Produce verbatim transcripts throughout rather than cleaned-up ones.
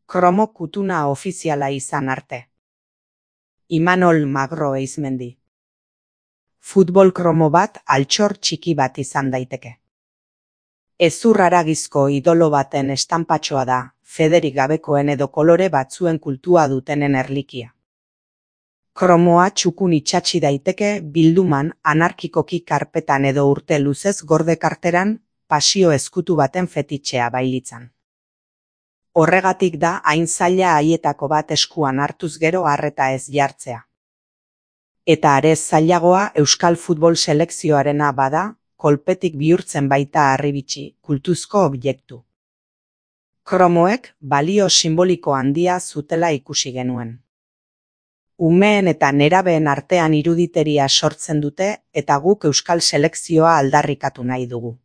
Kromo kutuna ofiziala izan arte. Imanol Magro Eizmendi. Futbol kromo bat altxor txiki bat izan daiteke. Hezur haragizko idolo baten estanpatxoa da, federik gabekoen edo kolore batzuen kultua dutenen erlikia. Kromoa txukun itxatsi daiteke bilduman, anarkikoki karpetan edo urte luzez gorde karteran, pasio ezkutu baten fetitxea bailitzan. Horregatik da hain zaila haietako bat eskuan hartuz gero harreta ez jartzea. Eta arez zailagoa euskal futbol selekzioarena bada, kolpetik bihurtzen baita harribitxi, kultuzko objektu. Kromoek balio simboliko handia zutela ikusi genuen. Umeen eta nerabeen artean iruditeria sortzen dute eta guk euskal selekzioa aldarrikatu nahi dugu.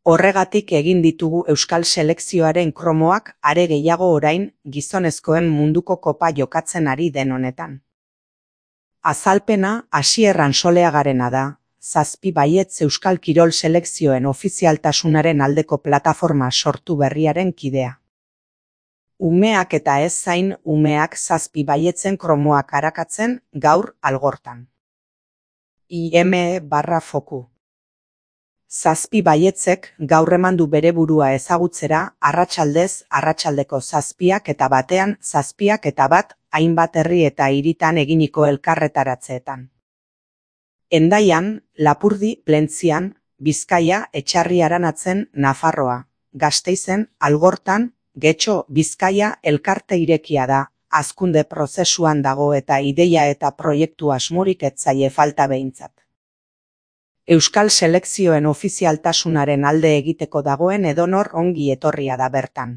Horregatik egin ditugu euskal selekzioaren kromoak are gehiago orain gizonezkoen munduko kopa jokatzen ari den honetan. Azalpena Asier Ansoleagarena da, zazpi baietz euskal kirol selekzioen ofizialtasunaren aldeko plataforma sortu berriaren kidea. Umeak eta ez zain umeak zazpi baietzen kromoak arakatzen gaur algortan. I M E barra foku. Zazpi baietzek gaur emandu bere burua ezagutzera arratsaldez arratsaldeko zazpiak eta batean zazpiak eta bat hainbat herri eta hiritan eginiko elkarretaratzeetan. Hendaian, Lapurdi, Plentzian, Bizkaia, Etxarri Aranatzen, Nafarroa, Gasteizen, Algortan, Getxo, Bizkaia elkarte irekia da, hazkunde prozesuan dago eta ideia eta proiektu asmorik ez zaie falta behintzat. Euskal selekzioen ofizialtasunaren alde egiteko dagoen edonor ongi etorria da bertan.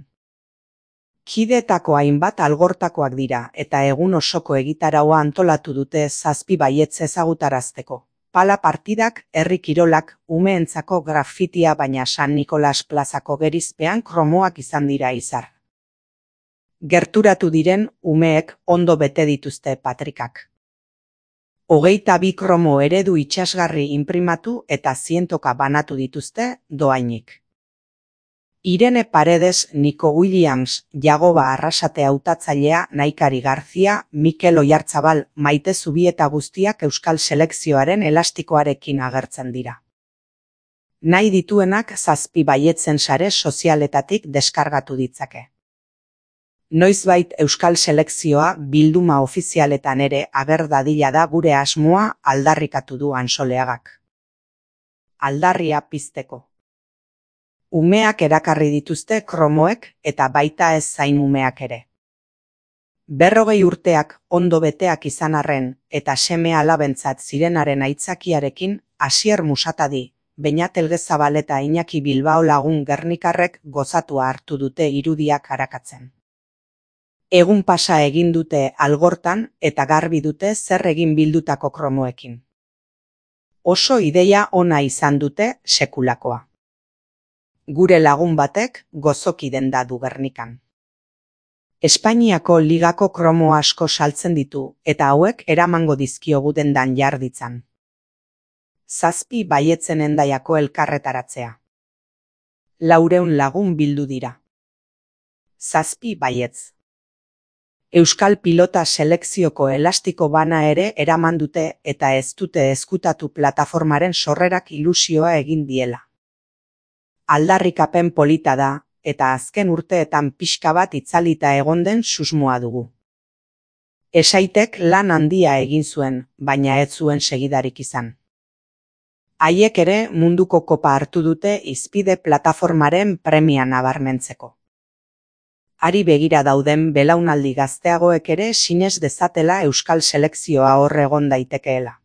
Kideetako hainbat algortakoak dira eta egun osoko egitaraua antolatu dute zazpi baietz ezagutarazteko. Pala partidak, herri kirolak, umeentzako grafitia baina San Nikolas plazako gerizpean kromoak izan dira izar. Gerturatu diren umeek ondo bete dituzte patrikak. Hogeita bi kromo eredu itxasgarri inprimatu eta zientoka banatu dituzte doainik. Irene Paredes, Nico Williams, Jagoba Arrasate hautatzailea, Naikari Garzia, Mikel Oiartzabal, Maite Zubieta guztiak euskal selekzioaren elastikoarekin agertzen dira. Nahi dituenak zazpi baietzen sare sozialetatik deskargatu ditzake. Noizbait euskal selekzioa bilduma ofizialetan ere ager dadila da gure asmoa aldarrikatu du Ansoleagak. Aldarria pizteko. Umeak erakarri dituzte kromoek eta baita ez zain umeak ere. Berrogei urteak ondo beteak izan arren eta seme alabentzat zirenaren aitzakiarekin Asier Musatadi, Beñat Elgezabal eta Iñaki Bilbao lagun gernikarrek gozatua hartu dute irudiak arakatzen. Egun pasa egin dute algortan eta garbi dute zer egin bildutako kromoekin. Oso ideia ona izan dute sekulakoa. Gure lagun batek gozoki denda du Gernikan. Espainiako ligako kromo asko saltzen ditu eta hauek eramango dizkiogu dendan jarditzan. Zazpi baietzen Hendaiako elkarretaratzea. Laureun lagun bildu dira. Zazpi baietz. Euskal pilota selekzioko elastiko bana ere eraman dute eta ez dute ezkutatu plataformaren sorrerak ilusioa egin diela. Aldarrikapen polita da, eta azken urteetan pixka bat itzalita egon den susmoa dugu. Esaitek lan handia egin zuen, baina ez zuen segidarik izan. Haiek ere munduko kopa hartu dute hizpide plataformaren premia nabarmentzeko. Hari begira dauden belaunaldi gazteagoek ere sinez dezatela euskal selekzioa hor egon daitekeela.